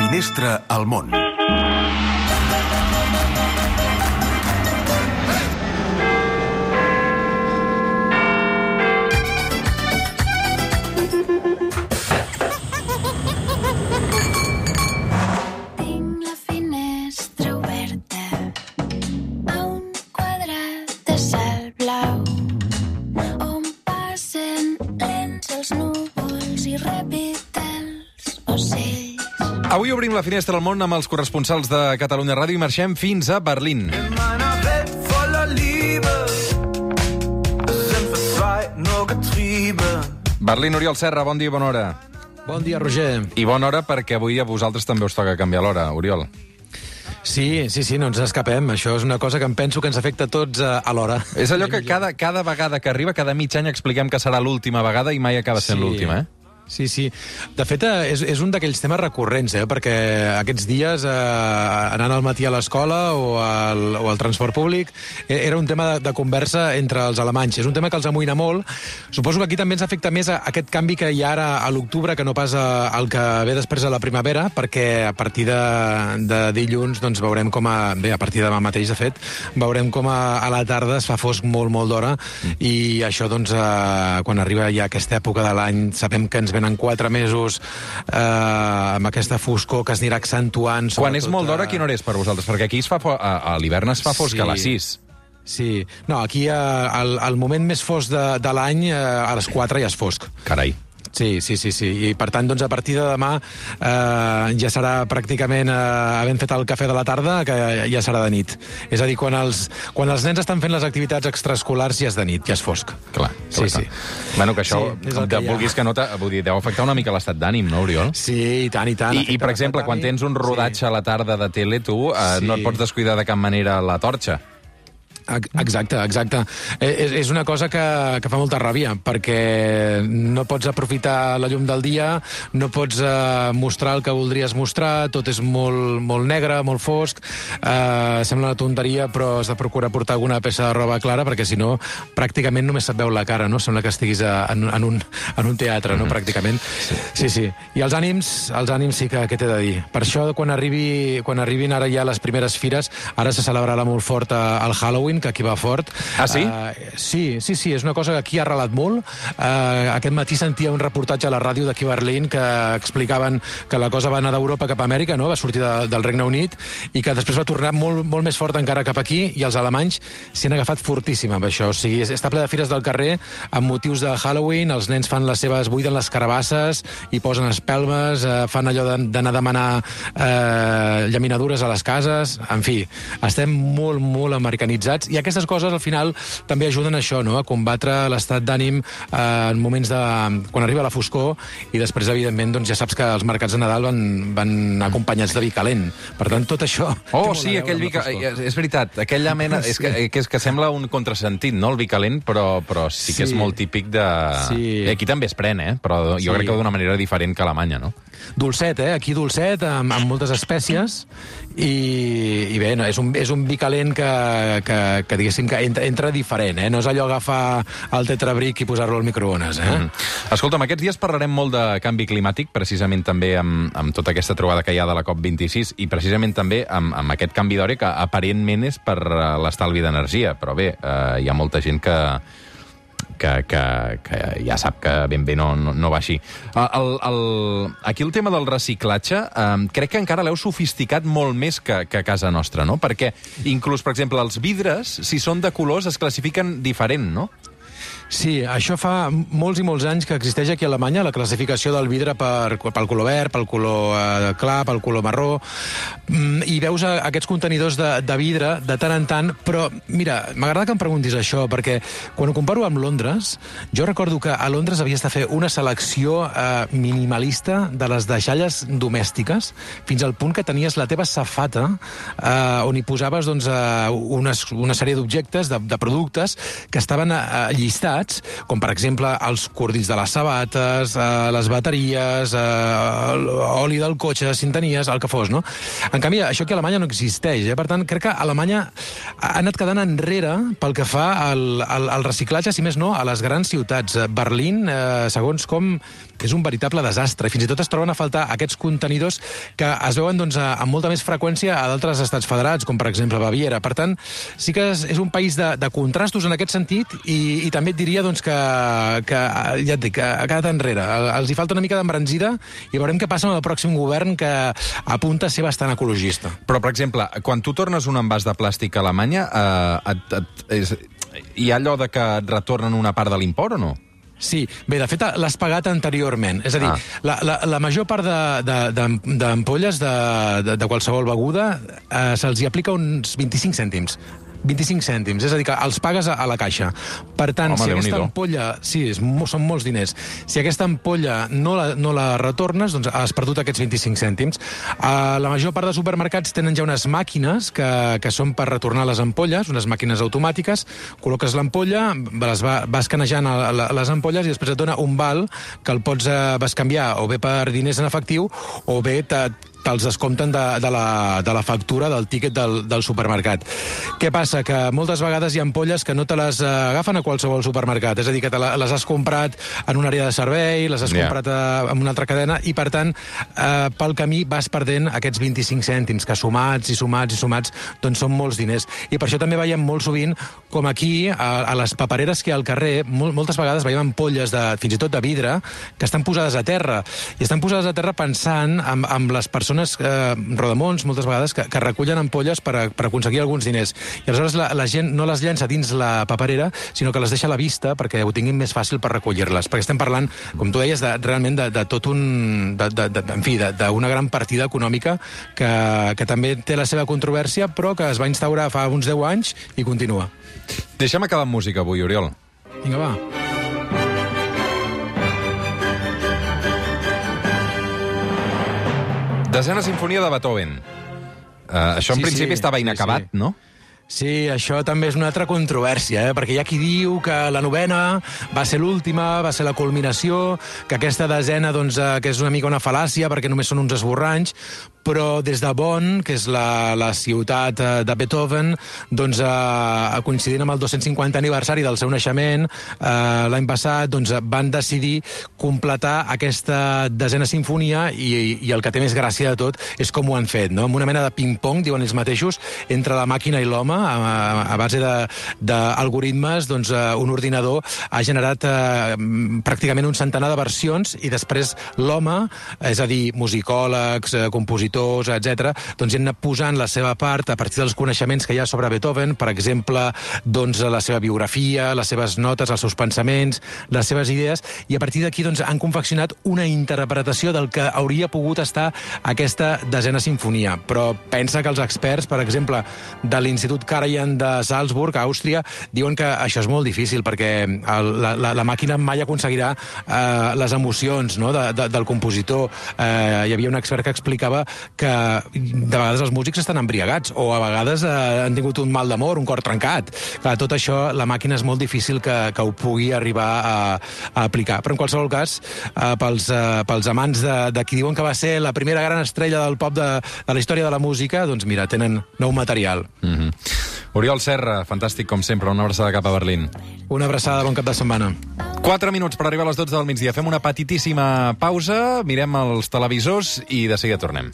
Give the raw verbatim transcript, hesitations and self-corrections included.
Finestra al món. Avui obrim la finestra al món amb els corresponsals de Catalunya Ràdio i marxem fins a Berlín. Berlín, Oriol Serra, bon dia i bona hora. Bon dia, Roger. I bona hora perquè avui a vosaltres també us toca canviar l'hora, Oriol. Sí, sí, sí, no ens escapem. Això és una cosa que em penso que ens afecta a tots a, a l'hora. És allò que cada, cada vegada que arriba, cada mig any expliquem que serà l'última vegada i mai acaba sent Sí. l'última, eh? Sí, sí. De fet, és, és un d'aquells temes recurrents, eh? Perquè aquests dies, eh, anant al matí a l'escola o, al, o al transport públic, era un tema de, de conversa entre els alemanys. És un tema que els amoïna molt. Suposo que aquí també ens afecta més a, aquest canvi que hi ha ara a l'octubre, que no pas a, al que ve després a la primavera, perquè a partir de, de dilluns doncs, veurem com a... Bé, a partir de demà mateix, de fet, veurem com a, a la tarda es fa fosc molt, molt d'hora, i això, doncs, eh, quan arriba ja aquesta època de l'any, sabem que ens venen quatre mesos eh, amb aquesta foscor que es anirà accentuant. Quan és molt d'hora, a... quina hora és per vosaltres? Perquè aquí es fa fo... a, a l'hivern es fa fosc Sí. a les sis. Sí. No, aquí eh, el, el moment més fosc de, de l'any, eh, a les quatre ja és fosc. Carai. Sí, sí, sí, sí. I per tant, doncs, a partir de demà eh, ja serà pràcticament, eh, havent fet el cafè de la tarda, que ja serà de nit. És a dir, quan els, quan els nens estan fent les activitats extraescolars ja és de nit, ja és fosc. Clar, Sí, clar, sí. clar. Bueno, que això, Sí, és el de, que hi ha. vulguis que no... Vull dir, deu afectar una mica l'estat d'ànim, no, Oriol? Sí, i tant, i tant. I, I, per exemple, quan tens un rodatge a la tarda de tele, tu eh, Sí. no et pots descuidar de cap manera la torxa. Exacte, exacte. És, és una cosa que, que fa molta ràbia, perquè no pots aprofitar la llum del dia, no pots eh, mostrar el que voldries mostrar, tot és molt, molt negre, molt fosc, eh, sembla una tonteria, però has de procurar portar alguna peça de roba clara, perquè si no, pràcticament només se't veu la cara, no? Sembla que estiguis a, en, en, un, en un teatre, no? Pràcticament. Sí, sí. I els ànims, els ànims sí que, què t'he de dir? Per això, quan, arribi, quan arribin ara ja les primeres fires, ara se celebrarà molt fort el Halloween, que aquí va fort. Ah, sí? Uh, sí, sí, sí, és una cosa que aquí ha arrelat molt. Uh, aquest matí sentia un reportatge a la ràdio d'aquí a Berlín que explicaven que la cosa va anar d'Europa cap a Amèrica, no? Va sortir de, del Regne Unit, i que després va tornar molt, molt més fort encara cap aquí, i els alemanys s'hi han agafat fortíssim amb això. O sigui, està ple de fires del carrer amb motius de Halloween, els nens fan les seves, buiden les carabasses i posen espelmes, uh, fan allò d'anar a demanar uh, llaminadures a les cases, en fi, estem molt, molt americanitzats. I aquestes coses, al final, també ajuden a això, no? A combatre l'estat d'ànim eh, en moments de... quan arriba la foscor, i després, evidentment, doncs ja saps que els mercats de Nadal van, van acompanyats de vi calent. Per tant, tot això... Oh, sí, aquell vi... És veritat, aquella mena... És que, que, és que sembla un contrasentit, no?, el vi calent, però, però sí que és Sí. molt típic de... Sí. I aquí també es pren, eh? Però jo Sí. crec que d'una manera diferent que a Alemanya, no? Dolcet, eh? Aquí dolcet, amb, amb moltes espècies, i, i bé, no, és, un, és un vi calent que, que, que diguéssim, que entra, entra diferent, eh? No és allò agafar el tetrabric i posar-lo al microones, eh? Mm. Escolta'm, aquests dies parlarem molt de canvi climàtic, precisament també amb, amb tota aquesta trobada que hi ha de la COP vint-i-sis, i precisament també amb, amb aquest canvi d'hora que aparentment és per eh, l'estalvi d'energia, però bé, eh, hi ha molta gent que... Que, que, que ja sap que ben bé no, no, no va així. El, el, aquí el tema del reciclatge eh, crec que encara l'heu sofisticat molt més que, que a casa nostra, no? Perquè inclús, per exemple, els vidres, si són de colors, es classifiquen diferent, no? Sí, això fa molts i molts anys que existeix aquí a Alemanya, la classificació del vidre per, pel color verd, pel color eh, clar, pel color marró, mm, i veus a, aquests contenidors de, de vidre de tant en tant, però mira, m'agrada que em preguntis això, perquè quan ho comparo amb Londres, jo recordo que a Londres havies de fer una selecció eh, minimalista de les deixalles domèstiques, fins al punt que tenies la teva safata eh, on hi posaves doncs, eh, unes, una sèrie d'objectes, de, de productes, que estaven eh, llistats, com per exemple els cordills de les sabates, eh, les bateries, eh, l'oli del cotxe, si en tenies, el que fos, no? En canvi, això aquí a Alemanya no existeix, eh? Per tant, crec que Alemanya ha anat quedant enrere pel que fa al, al, al reciclatge, si més no, a les grans ciutats. Berlín, eh, segons com és un veritable desastre. I fins i tot es troben a faltar aquests contenidors que es veuen doncs, amb molta més freqüència a d'altres estats federats, com per exemple Baviera. Per tant, sí que és, és un país de, de contrastos en aquest sentit i, i també et diria doncs, que, que, ja et dic, que ha quedat enrere. Els hi falta una mica d'embranzida i veurem què passa amb el pròxim govern, que apunta a ser bastant ecologista. Però, per exemple, quan tu tornes un envàs de plàstic a Alemanya, eh, et, et, és, hi ha allò de que et retornen una part de l'import o no? Sí, bé, de fet l'has pagat anteriorment. És a dir, ah. la, la, la major part d'ampolles de, de, de, de, de qualsevol beguda eh, se'ls hi aplica uns vint-i-cinc cèntims. vint-i-cinc cèntims, és a dir, que els pagues a, a la caixa. Per tant, Home, si aquesta ampolla... Sí, és, són molts diners. Si aquesta ampolla no la, no la retornes, doncs has perdut aquests vint-i-cinc cèntims. Uh, la major part de supermercats tenen ja unes màquines que, que són per retornar les ampolles, unes màquines automàtiques, col·loques l'ampolla, les va, vas canejant a, a, les ampolles i després et dona un val que el pots uh, bescanviar o bé per diners en efectiu o bé te, te'ls descompten de, de, la, de la factura del tíquet del, del supermercat. Què passa? Que moltes vegades hi ha ampolles que no te les uh, agafen a qualsevol supermercat, és a dir, que te la, les has comprat en una àrea de servei, les has yeah. comprat uh, en una altra cadena, i per tant, uh, pel camí vas perdent aquests vint-i-cinc cèntims, que sumats i sumats i sumats, doncs són molts diners. I per això també veiem molt sovint, com aquí, a, a les papereres que hi ha al carrer, mol, moltes vegades veiem ampolles, de, fins i tot de vidre, que estan posades a terra, i estan posades a terra pensant en, en les persones Eh, rodamons, moltes vegades, que, que recullen ampolles per, a, per aconseguir alguns diners. I aleshores la, la gent no les llença dins la paperera, sinó que les deixa a la vista perquè ho tinguin més fàcil per recollir-les. Perquè estem parlant, com tu deies, de, realment de, de tot un... De, de, de, en fi, d'una gran partida econòmica que, que també té la seva controvèrsia, però que es va instaurar fa uns deu anys i continua. Deixa'm acabar amb música avui, Oriol. Vinga, va. Desena sinfonia de Beethoven. Uh, això en sí, principi sí, estava inacabat, sí, sí. no? Sí, això també és una altra controvèrsia, eh? Perquè hi ha qui diu que la novena va ser l'última, va ser la culminació, que aquesta desena, doncs, eh, que és una mica una fal·làcia, perquè només són uns esborranys, però des de Bonn, que és la, la ciutat de Beethoven, doncs, eh, coincidint amb el dos-cents cinquantè aniversari del seu naixement, eh, l'any passat, doncs, van decidir completar aquesta desena sinfonia i, i el que té més gràcia de tot és com ho han fet, no? Amb una mena de ping-pong, diuen ells mateixos, entre la màquina i l'home, a, a base d'algoritmes, doncs, eh, un ordinador ha generat eh, pràcticament un centenar de versions i després l'home, és a dir, musicòlegs, eh, compositors, etcètera, doncs hi han anat posant la seva part a partir dels coneixements que hi ha sobre Beethoven, per exemple, doncs, la seva biografia, les seves notes, els seus pensaments, les seves idees, i a partir d'aquí doncs, han confeccionat una interpretació del que hauria pogut estar aquesta desena sinfonia. Però pensa que els experts, per exemple, de l'Institut Karajan de Salzburg, a Àustria, diuen que això és molt difícil, perquè el, la, la, la màquina mai aconseguirà eh, les emocions, no?, de, de, del compositor. Eh, hi havia un expert que explicava que de vegades els músics estan embriagats o a vegades eh, han tingut un mal d'amor, un cor trencat. Clar, tot això, la màquina és molt difícil que, que ho pugui arribar a, a aplicar. Però en qualsevol cas, eh, pels, eh, pels amants de, de qui diuen que va ser la primera gran estrella del pop de, de la història de la música, doncs mira, tenen nou material. Mm-hmm. Oriol Serra, fantàstic com sempre, una abraçada cap a Berlín. Una abraçada, bon cap de setmana. Quatre minuts per arribar a les dotze del migdia. Fem una petitíssima pausa, mirem els televisors i de seguida tornem.